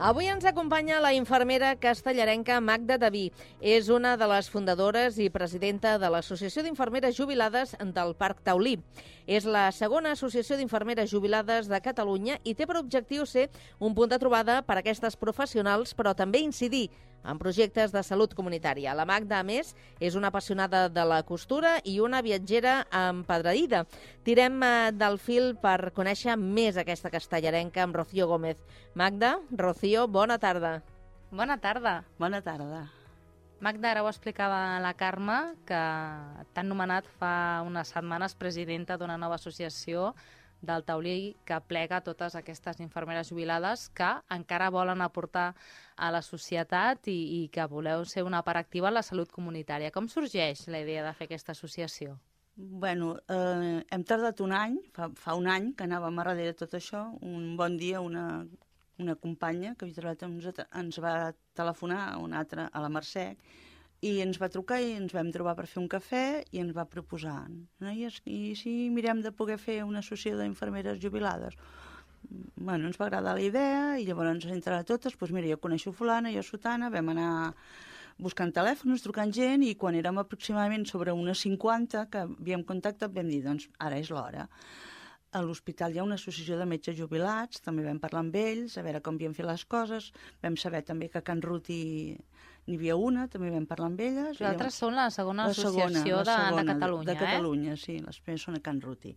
Avui ens acompanya la infermera castellarenca Magda Daví. És una de les fundadores i presidenta de l'Associació d'Infermeres Jubilades del Parc Taulí. És la segona associació d'infermeres jubilades de Catalunya i té per objectiu ser un punt de trobada per a aquestes professionals, però també incidir en projectes de salut comunitària. La Magda, a més, és una apassionada de la costura i una viatgera empedradida. Tirem del fil per conèixer més aquesta castellarenca amb Rocío Gómez. Magda, Rocío, bona tarda. Bona tarda. Bona tarda. Magda, ara ho explicava la Carme, que t'han nomenat fa unes setmanes presidenta d'una nova associació del Taulí que plega totes aquestes infermeres jubilades que encara volen aportar a la societat i que voleu ser una part activa en la salut comunitària. Com sorgeix la idea de fer aquesta associació? Bueno, hem tardat un any, fa un any que anàvem a darrere de tot això. Un bon dia una companya que havia treballat amb nosaltres ens va telefonar a la Mercè, i ens va trucar i ens vam trobar per fer un cafè i ens va proposar, noies, i si mirem de poder fer una associació d'infermeres jubilades? Bueno, ens va agradar la idea i llavors entre totes, doncs mira, jo coneixo fulana, jo sotana, vam anar buscant telèfons, trucant gent, i quan érem aproximadament sobre unes 50 que havíem contactat vam dir, doncs ara és l'hora. A l'hospital hi ha una associació de metges jubilats, també vam parlar amb ells, a veure com havien fet les coses, vam saber també que a Can Ruti n'hi havia una, també vam parlar amb elles. Vosaltres són la segona associació de Catalunya, de Catalunya, sí, les primeres són a Can Ruti.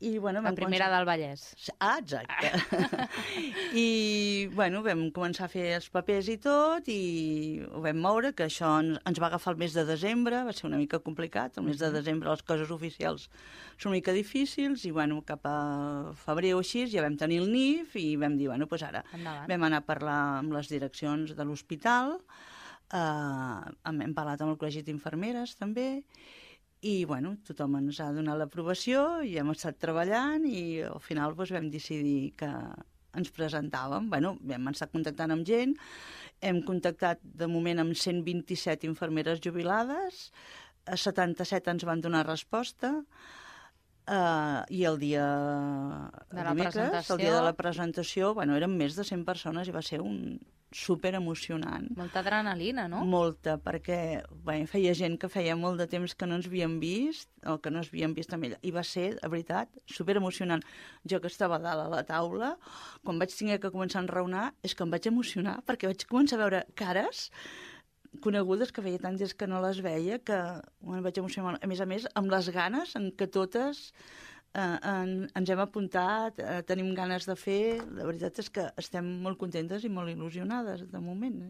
I, bueno, la primera del Vallès. Ah, exacte. I, bueno, vam començar a fer els papers i tot, i ho vam moure, que això ens va agafar el mes de desembre, va ser una mica complicat, el mes de desembre les coses oficials són una mica difícils, i, bueno, cap a febrer o així ja vam tenir el NIF, i vam dir, bueno, doncs ara vam anar a parlar amb les direccions de l'hospital, hem parlat amb el Col·legi d'Infermeres, també, i, bueno, tothom ens ha donat l'aprovació i hem estat treballant i al final doncs, vam decidir que ens presentàvem. Bueno, vam estar contactant amb gent, hem contactat de moment amb 127 infermeres jubilades, 77 ens van donar resposta, i el dia dimecres, el dia de la presentació, bueno, eren més de 100 persones i va ser un super emocionant. Molta adrenalina, no? Molta, perquè feia gent que feia molt de temps que no ens havíem vist, o que no ens havíem vist amb ella, i va ser, de veritat, super emocionant. Jo que estava a dalt a la taula, quan vaig tenir que començar a enraonar, és que em vaig emocionar, perquè vaig començar a veure cares conegudes que feia tant des que no les veia, que em vaig emocionar. A més, amb les ganes en què totes ens hem apuntat, tenim ganes de fer. La veritat és que estem molt contentes i molt il·lusionades de moment.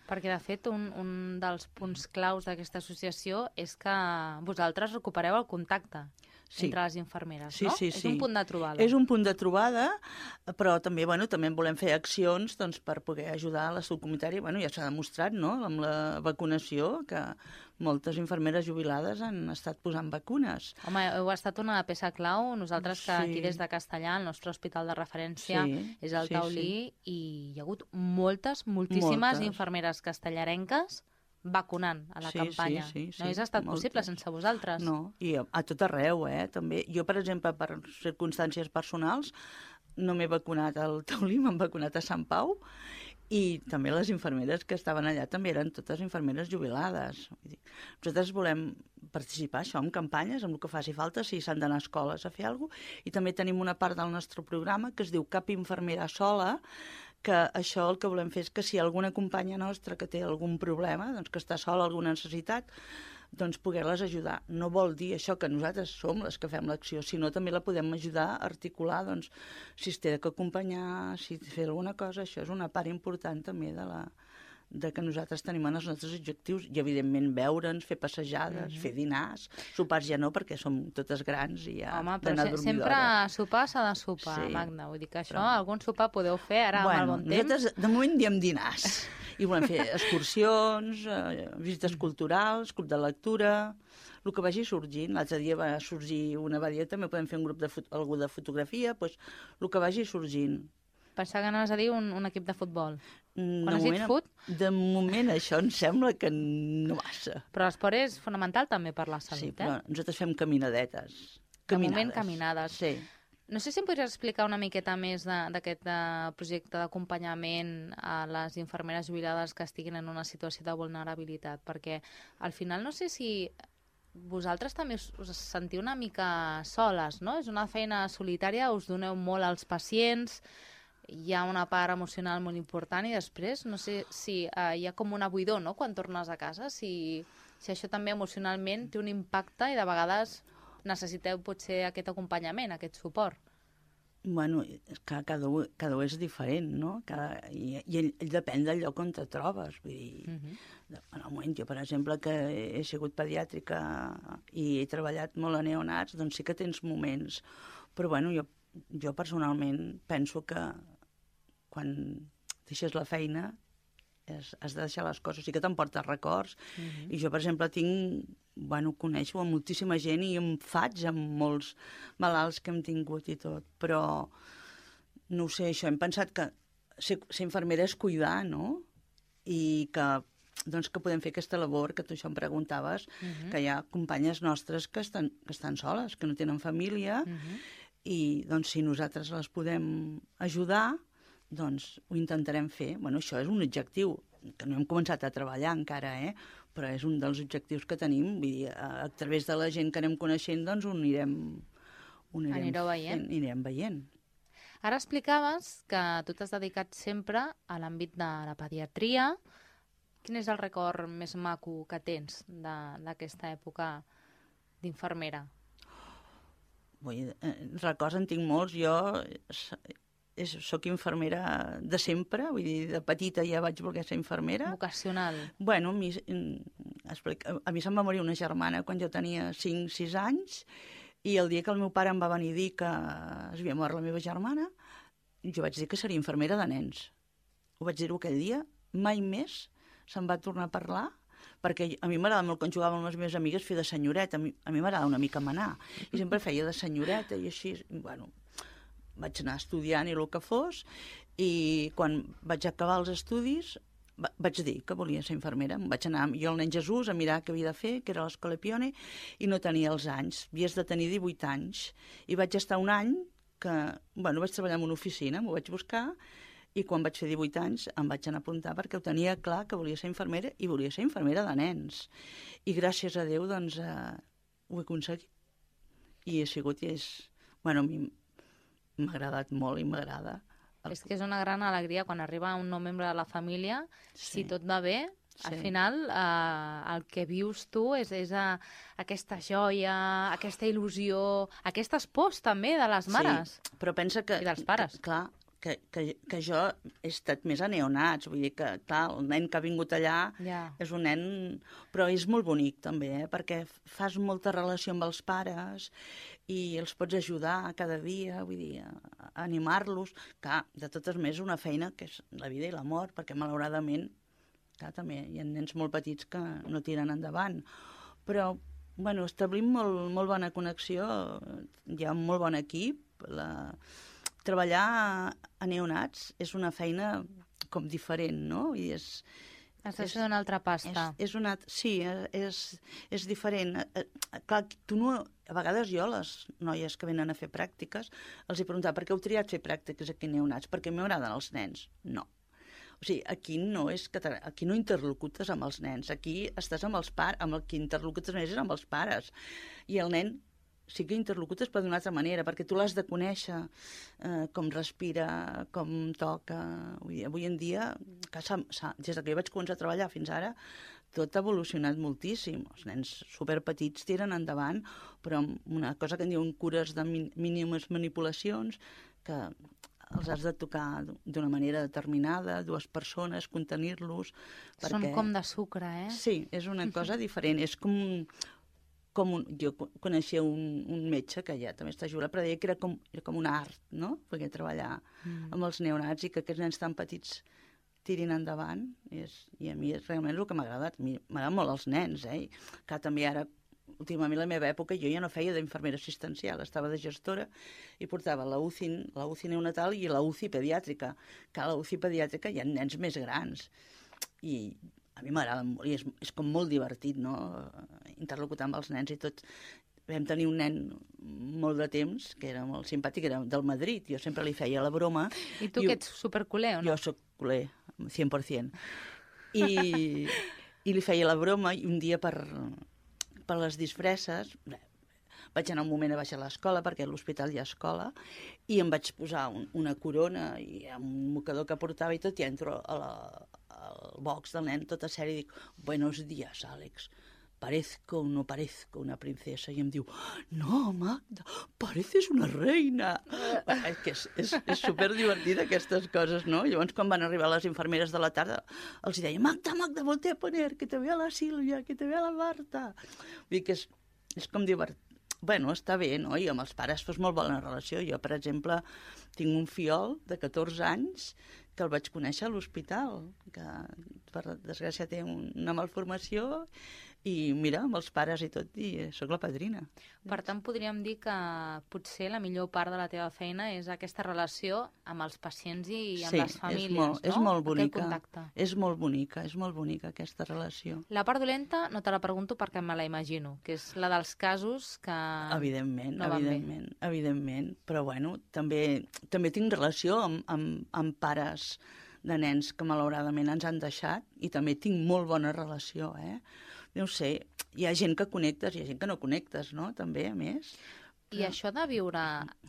Perquè, de fet, un dels punts claus d'aquesta associació és que vosaltres recupereu el contacte entre les infermeres, no? Sí. És un punt de trobada. És un punt de trobada, però també, també volem fer accions per poder ajudar a la salut comunitària. Ja s'ha demostrat, no?, amb la vacunació, que moltes infermeres jubilades han estat posant vacunes. Home, heu estat una peça clau. Nosaltres, que aquí des de Castellà, el nostre hospital de referència és el Taulí, i hi ha hagut moltíssimes infermeres castellarenques vacunant a la campanya. No hauria estat possible sense vosaltres. No, i a tot arreu, també. Jo, per exemple, per circumstàncies personals, no m'he vacunat al Taulí, m'han vacunat a Sant Pau, i també les infermeres que estaven allà també eren totes infermeres jubilades. Nosaltres volem participar això en campanyes, amb el que faci falta, si s'han d'anar a escoles a fer alguna cosa, i també tenim una part del nostre programa que es diu Cap infermera sola, que això el que volem fer és que si alguna companya nostra que té algun problema, doncs que està sola, alguna necessitat, doncs poder-les ajudar. No vol dir això que nosaltres som les que fem l'acció, sinó també la podem ajudar a articular, doncs, si es té que acompanyar, si fer alguna cosa. Això és una part important també de que nosaltres tenim en els nostres objectius, i evidentment veure'ns, fer passejades, fer dinars, sopars ja no, perquè som totes grans i ja d'anar a dormir d'hora. Sempre sopar s'ha de sopar, Magda. Vull dir que això, algun sopar podeu fer ara amb el bon temps. Nosaltres de moment diem dinars. I volem fer excursions, visites culturals, club de lectura, el que vagi sorgint. L'altre dia va sorgir una va dir, també podem fer un grup de fotografia, doncs el que vagi sorgint. Pensava que anaves a dir un equip de futbol. Quan has dit fut? De moment això em sembla que no massa. Però l'esport és fonamental també per la salut, Sí, però nosaltres fem caminadetes. De moment caminades. Sí. No sé si em podries explicar una miqueta més d'aquest projecte d'acompanyament a les infermeres jubilades que estiguin en una situació de vulnerabilitat, perquè al final no sé si vosaltres també us sentiu una mica soles, no? És una feina solitària, us doneu molt als pacients, hi ha una part emocional molt important i després no sé si hi ha com una buidor, no?, quan tornes a casa, si això també emocionalment té un impacte i de vegades necessiteu potser aquest acompanyament, aquest suport. Bueno, cada un és diferent, no? I depèn del lloc on te trobes. Vull dir, en el moment, jo, per exemple, que he sigut pediàtrica i he treballat molt a neonats, doncs sí que tens moments. Però, bueno, jo personalment penso que quan deixes la feina has de deixar les coses, sí que t'emportes records. I jo, per exemple, coneixo moltíssima gent i em faig amb molts malalts que hem tingut i tot, però no ho sé, això, hem pensat que ser infermera és cuidar, no? I que podem fer aquesta labor, que tu això em preguntaves, que hi ha companyes nostres que estan soles, que no tenen família, i doncs si nosaltres les podem ajudar, doncs ho intentarem fer. Bueno, això és un objectiu, que no hem començat a treballar encara, però és un dels objectius que tenim. Vull dir, a través de la gent que anem coneixent, doncs ho anirem veient. Ara explicaves que tu t'has dedicat sempre a l'àmbit de la pediatria. Quin és el record més maco que tens d'aquesta època d'infermera? Records en tinc molts. Jo soc infermera de sempre, vull dir, de petita ja vaig voler ser infermera. Vocacional. Bueno, a mi se'm va morir una germana quan jo tenia 5-6 anys, i el dia que el meu pare em va venir a dir que es havia mort la meva germana, jo vaig dir que seria infermera de nens. Ho vaig dir-ho aquell dia, mai més se'n va tornar a parlar, perquè a mi m'agrada molt, quan jugava amb les meves amigues, fer de senyoreta. A mi m'agrada una mica manar, i sempre feia de senyoreta, i així, bueno, vaig anar estudiant i el que fos, i quan vaig acabar els estudis vaig dir que volia ser infermera. Vaig anar jo al Nen Jesús a mirar què havia de fer, que era l'Escola Pione, i no tenia els anys. Havies de tenir 18 anys. I vaig estar un any que, vaig treballar en una oficina, m'ho vaig buscar, i quan vaig fer 18 anys em vaig anar a apuntar perquè ho tenia clar que volia ser infermera, i volia ser infermera de nens. I gràcies a Déu, doncs, ho he aconseguit. I he sigut, i és... Bueno, a mi m'ha agradat molt i m'agrada. És que és una gran alegria quan arriba un nou membre de la família, si tot va bé, al final el que vius tu és aquesta joia, aquesta il·lusió, aquestes pors també de les mares. Sí, però pensa que... I dels pares. Clar, que jo he estat més a neonats, vull dir que, clar, el nen que ha vingut allà és un nen... Però és molt bonic, també, perquè fas molta relació amb els pares i els pots ajudar cada dia, vull dir, a animar-los. Clar, de totes maneres, una feina que és la vida i la mort, perquè malauradament, clar, també hi ha nens molt petits que no tiren endavant. Però, bueno, establim molt bona connexió, hi ha un molt bon equip, treballar a neonats és una feina com diferent, no? I has de fer una altra pasta. Sí, és diferent. Clar, a vegades jo, les noies que venen a fer pràctiques, els he preguntat per què heu triat fer pràctiques aquí a neonats? Perquè m'agraden els nens? No. O sigui, aquí no interlocutes amb els nens, aquí estàs amb els pares, amb el que interlocutes més és amb els pares. I el nen sí que interlocutes però d'una altra manera, perquè tu l'has de conèixer, com respira, com toca. Avui en dia, des que jo vaig començar a treballar fins ara, tot ha evolucionat moltíssim. Els nens superpetits tiren endavant, però amb una cosa que en diuen cures de mínimes manipulacions, que els has de tocar d'una manera determinada, 2 persones, contenir-los... Són com de sucre, eh? Sí, és una cosa diferent, és com jo coneixia un metge que ja també està jubilat, però deia que era com un art, no?, poder treballar amb els neonats i que aquests nens tan petits tirin endavant. I a mi realment és el que m'ha agradat. A mi m'agraden molt els nens, I clar, també ara, últimament, a la meva època, jo ja no feia d'infermera assistencial, estava de gestora i portava la UCI neonatal i la UCI pediàtrica. Que a la UCI pediàtrica hi ha nens més grans. I a mi m'agrada molt, i és com molt divertit, no?, interlocutar amb els nens i tot. vam tenir un nen molt de temps, que era molt simpàtic, era del Madrid, jo sempre li feia la broma. I tu que ets superculer, o no? Jo sóc culer, 100%. I li feia la broma, i un dia per les disfresses, vaig anar un moment a baixar a l'escola, perquè a l'hospital hi ha escola, i em vaig posar una corona i un mocador que portava i tot, i entro al box del nen tota sèrie i dic, buenos días, Àlex, parezco o no parezco una princesa, i em diu, no, Magda, pareces una reina. Que és superdivertida aquestes coses, no? Llavors, quan van arribar les infermeres de la tarda, els deia, Magda, volte a poner, que te vea la Sílvia, que te vea la Marta. Vull dir que és com divertit. Bueno, està bé, no? I amb els pares fos molt bona relació. Jo, per exemple, tinc un fiol de 14 anys que el vaig conèixer a l'hospital, que per desgràcia té una malformació, i mira, amb els pares i tot, i sóc la padrina. Per tant, podríem dir que potser la millor part de la teva feina és aquesta relació amb els pacients i amb les famílies, no? És molt bonica. Aquest contacte. És molt bonica aquesta relació. La part dolenta no te la pregunto perquè me la imagino, que és la dels casos que evidentment, no van bé. Evidentment, però bueno, també tinc relació amb pares de nens que malauradament ens han deixat, i també tinc molt bona relació, No sé, hi ha gent que connectes, hi ha gent que no connectes, no? També, a més. I això de viure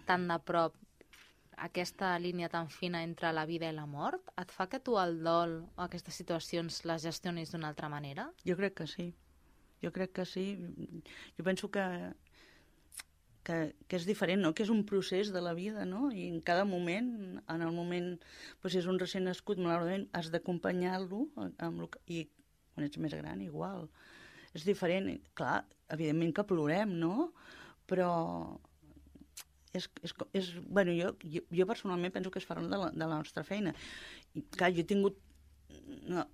tan de prop aquesta línia tan fina entre la vida i la mort, et fa que tu el dol o aquestes situacions les gestionis d'una altra manera? Jo crec que sí. Jo penso que és diferent, no? Que és un procés de la vida, no? I en cada moment, en el moment, doncs és un recent nascut, malauradament, has d'acompanyar-lo, i quan ets més gran, igual. És diferent. Clar, evidentment que plorem, no? Però bueno, jo personalment penso que és part de la nostra feina. I, clar, jo he tingut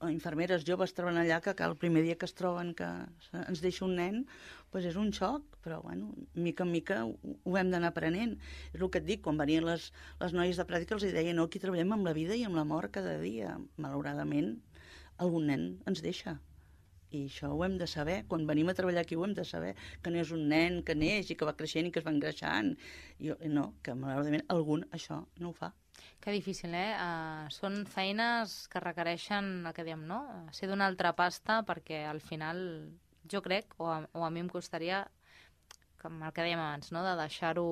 infermeres joves treballant allà que el primer dia que es troben que ens deixa un nen, doncs és un xoc, però bueno, mica en mica ho hem d'anar aprenent. És el que et dic, quan venien les noies de pràctica els deia, no, aquí treballem amb la vida i amb la mort cada dia. Malauradament, algun nen ens deixa. I això ho hem de saber. Quan venim a treballar aquí ho hem de saber, que no és un nen que neix i que va creixent i que es va engreixant. No, que malauradament algun això no ho fa. Que difícil, són feines que requereixen, el que diem, no? Ser d'una altra pasta, perquè al final jo crec, o a mi em costaria, com el que dèiem abans, no? De deixar-ho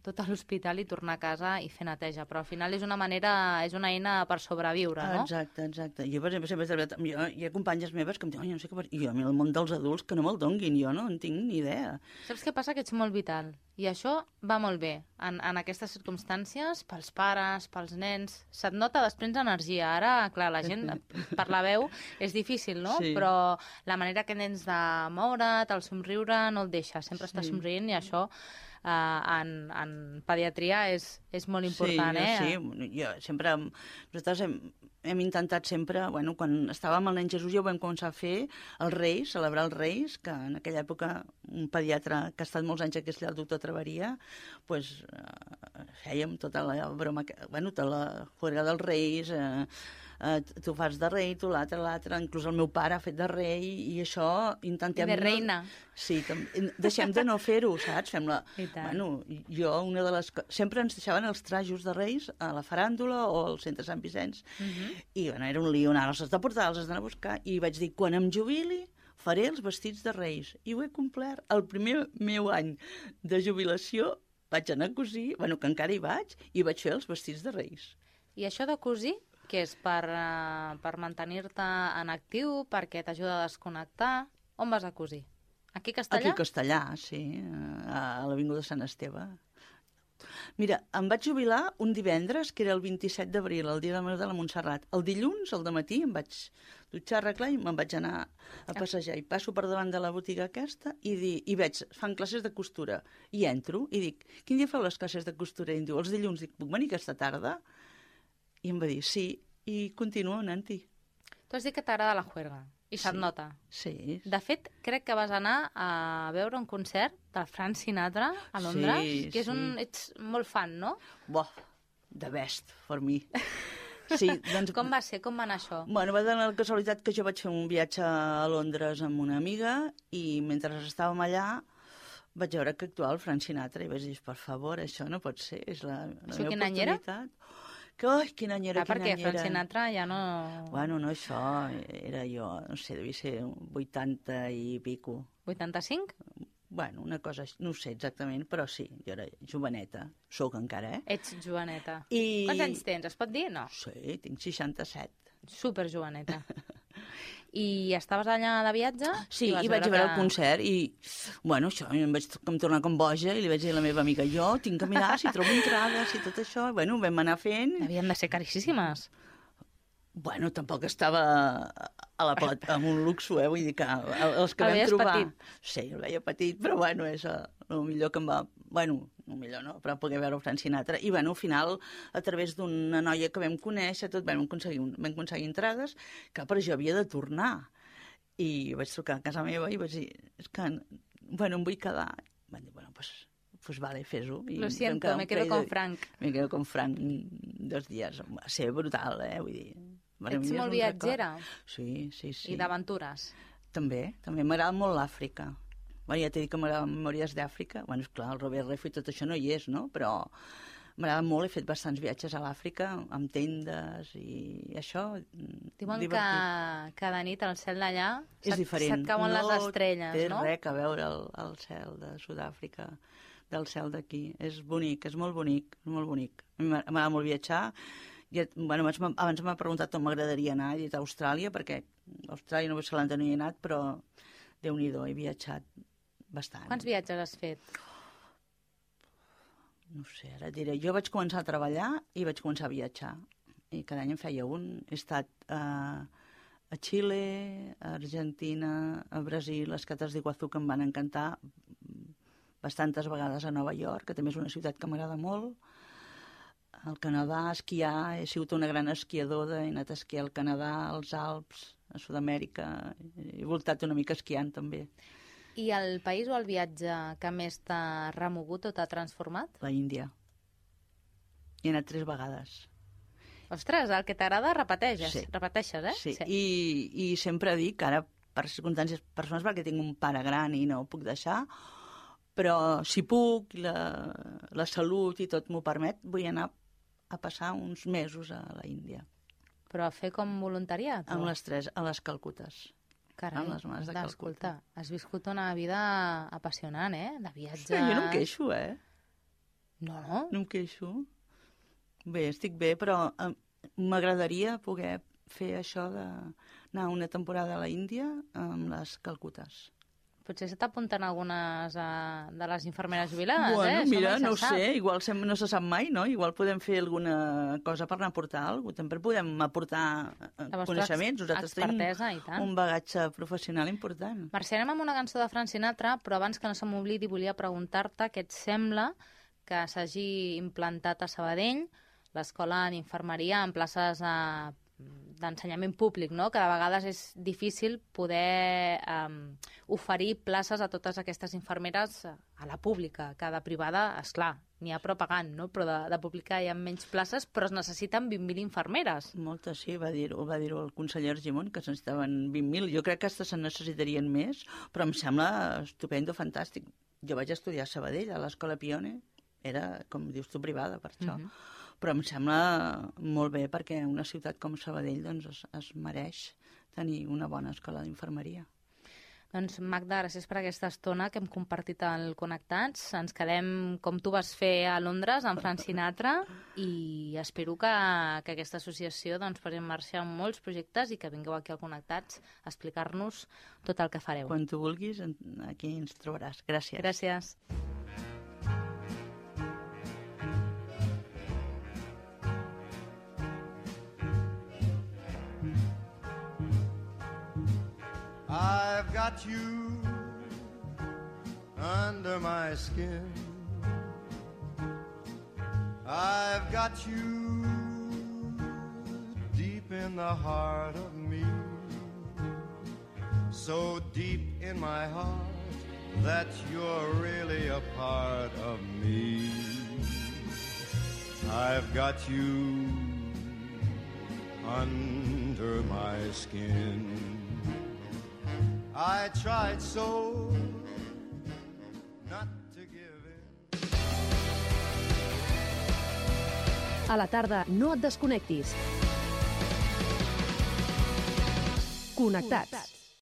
tot a l'hospital i tornar a casa i fer neteja, però al final és una eina per sobreviure, no? Exacte. Jo, per exemple, sempre he treballat... Hi ha companyes meves que em diuen, no sé què... I a mi el món dels adults que no me'l donguin, jo no en tinc ni idea. Saps què passa? Que ets molt vital. I això va molt bé en aquestes circumstàncies, pels pares, pels nens. Se't nota després energia. Ara, clar, la gent per la veu és difícil, no? Sí. Però la manera que tens de moure't, el somriure, no el deixa. Sempre està somrient i això en pediatria és molt important, Sí, jo sempre... Nosaltres hem intentat sempre, bueno, quan estàvem al nen Jesús ja ho vam començar a fer, els Reis, celebrar els Reis, que en aquella època un pediatre que ha estat molts anys aquí, el doctor Traveria, doncs fèiem tota la broma, bueno, tota la juerga dels Reis, tu fas de rei, tu l'altre, inclús el meu pare ha fet de rei, i això intentem... De reina. Sí, deixem de no fer-ho, saps? Fem-la... Bueno, jo, una de les... Sempre ens deixaven els trajos de reis a la faràndula o al centre Sant Vicenç, i bueno, era un lío, els has de portar, els has d'anar a buscar, i vaig dir, quan em jubili faré els vestits de reis, i ho he complert. El primer meu any de jubilació vaig anar a cosir, bueno, que encara hi vaig fer els vestits de reis. I això de cosir, què és? Per mantenir-te en actiu, perquè t'ajuda a desconnectar? On vas a cosir? Aquí a Castellà? Aquí a Castellà, sí, a l'Avinguda Sant Esteve. Mira, em vaig jubilar un divendres, que era el 27 d'abril, el dia de la Mare de la Montserrat. El dilluns, al dematí, em vaig dutxar, arreglar i me'n vaig anar a passejar. I passo per davant de la botiga aquesta i veig, fan classes de costura. I entro i dic, quin dia feu les classes de costura? I em diu, els dilluns. Dic, puc venir aquesta tarda? I em va dir, sí, i continuo anant-hi. Tu has dit que t'agrada la juerga, i se't nota. Sí. De fet, crec que vas anar a veure un concert del Frank Sinatra a Londres, que ets molt fan, no? The best for me. Sí, doncs... Com va ser? Com va anar això? Bueno, va donar la casualitat que jo vaig fer un viatge a Londres amb una amiga i mentre estàvem allà vaig veure que actuava el Frank Sinatra i vaig dir, per favor, això no pot ser, és la meva quin any era? oportunitat. Quin any era, perquè Frank Sinatra ja no... Bueno, no, això era jo, no sé, devia ser 80 i pico. 85? Bueno, una cosa, no ho sé exactament, però sí, jo era joveneta, sóc encara, Ets joveneta. I... Quants anys tens, es pot dir? No. Sí, tinc 67. Super joveneta. I estaves allà de viatge? Sí, i vaig veure el concert i, bueno, això, em vaig tornar com boja i li vaig dir a la meva amiga, jo tinc que mirar si trobo entrades i tot això. Bueno, vam anar fent. Havien de ser caríssimes. Bueno, tampoc estava amb un luxo, vull dir que els que vam trobar... Petit. Sí, el veia petit, però bueno, és el millor que em va... Bueno, el millor no, però poder veure el Frank Sinatra. I bueno, al final, a través d'una noia que vam conèixer, tot vam aconseguir entrades, que per jo havia de tornar. I vaig trucar a casa meva i vaig dir, és que, bueno, em vull quedar. Van dir, bueno, pues vale, fes-ho. Lo siento, me quedo con Frank. Me quedo con Frank 2 dies. Va ser brutal, vull dir... Ets molt viatgera? Sí. I d'aventures? També m'agrada molt l'Àfrica. Bueno, ja t'he dit que m'agrada Memòries d'Àfrica. Bueno, esclar, el Robert Redford i tot això no hi és, no? Però m'agrada molt, he fet bastants viatges a l'Àfrica, amb tendes i això, diuen divertit. que de nit el cel d'allà se't cauen les estrelles, no? No té res a veure el cel de Sud-àfrica del cel d'aquí. És bonic, és molt bonic, molt bonic. M'agrada molt viatjar. Bueno, abans m'ha preguntat on m'agradaria anar, he dit a Austràlia, perquè a Austràlia no no hi he anat, però Déu-n'hi-do, he viatjat bastant. Quants viatges has fet? No sé, ara et diré. Jo vaig començar a treballar i vaig començar a viatjar. I cada any en feia un. He estat a Xile, a Argentina, a Brasil, les Cates d'Iguazú, que em van encantar, bastantes vegades a Nova York, que també és una ciutat que m'agrada molt. Al Canadà, a esquiar, he sigut una gran esquiadora, he anat a esquiar al Canadà, als Alps, a Sud-amèrica, he voltat una mica esquiant també. I el país o el viatge que més t'ha remogut o t'ha transformat? La Índia. Hi he anat 3 vegades. Ostres, el que t'agrada repeteixes, sí. Repeteixes, eh? Sí. I sempre dic que ara, per circumstàncies personals, perquè tinc un pare gran i no ho puc deixar, però si puc, la salut i tot m'ho permet, vull anar a passar uns mesos a la Índia. Però a fer com voluntariat? Amb les 3, a les Calcutes. Carai, amb les mares de Calcuta. Has viscut una vida apassionant, de viatges... Sí, jo no em queixo, No? No em queixo. Bé, estic bé, però m'agradaria poder fer això d'anar una temporada a la Índia amb les Calcutes. Potser se t'apunten algunes de les infermeres jubilades, Bueno, mira, no ho sap. sé, igual no se sap mai, no? Igual podem fer alguna cosa per anar a aportar alguna cosa. També podem aportar coneixements. Nosaltres tenim un bagatge professional important. Mercè, anem amb una cançó de Frank Sinatra, però abans que no se m'oblidi volia preguntar-te què et sembla que s'hagi implantat a Sabadell l'escola d'infermeria en places d'ensenyament públic, no? Que de vegades és difícil poder oferir places a totes aquestes infermeres a la pública, que de privada, esclar, n'hi ha però pagant, no? Però de pública hi ha menys places, però es necessiten 20.000 infermeres. Moltes, sí, va dir-ho el conseller Argimon, que se'n necessitaven 20.000. Jo crec que se'n necessitarien més, però em sembla estupendo, fantàstic. Jo vaig estudiar a Sabadell, a l'Escola Pione, era, com dius tu, privada, per això. Però em sembla molt bé perquè una ciutat com Sabadell doncs, es mereix tenir una bona escola d'infermeria. Doncs Magda, gràcies per aquesta estona que hem compartit al Connectats. Ens quedem com tu vas fer a Londres amb Frank Sinatra i espero que aquesta associació doncs, posi en marxa molts projectes i que vingueu aquí al Connectats a explicar-nos tot el que fareu. Quan tu vulguis, aquí ens trobaràs. Gràcies. Gràcies. I've got you under my skin. I've got you deep in the heart of me. So deep in my heart that you're really a part of me. I've got you under my skin. I tried so not to give in. A la tarda, no et desconnectis. Connectats.